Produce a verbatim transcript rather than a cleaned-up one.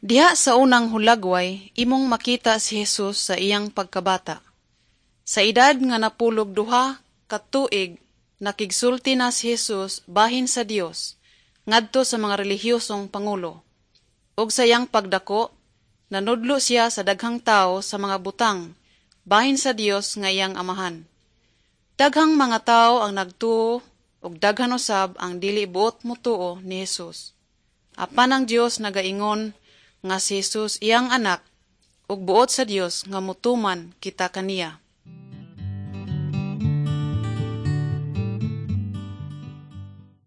Diha sa unang hulagway, imong makita si Jesus sa iyang pagkabata. Sa edad nga napulog duha ka tuig, nakigsulti na si Jesus bahin sa Dios ngadto sa mga relihiyosong pangulo. Ug sa iyang pagdako, nanudlo siya sa daghang tawo sa mga butang bahin sa Dios nga iyang amahan. Daghang mga tawo ang nagtuo ug daghan usab ang dili buot motuo ni Jesus. Apan ang Dios nagaingon nga si Jesus iyang anak ug buot sa Dios nga mutuman kita kaniya.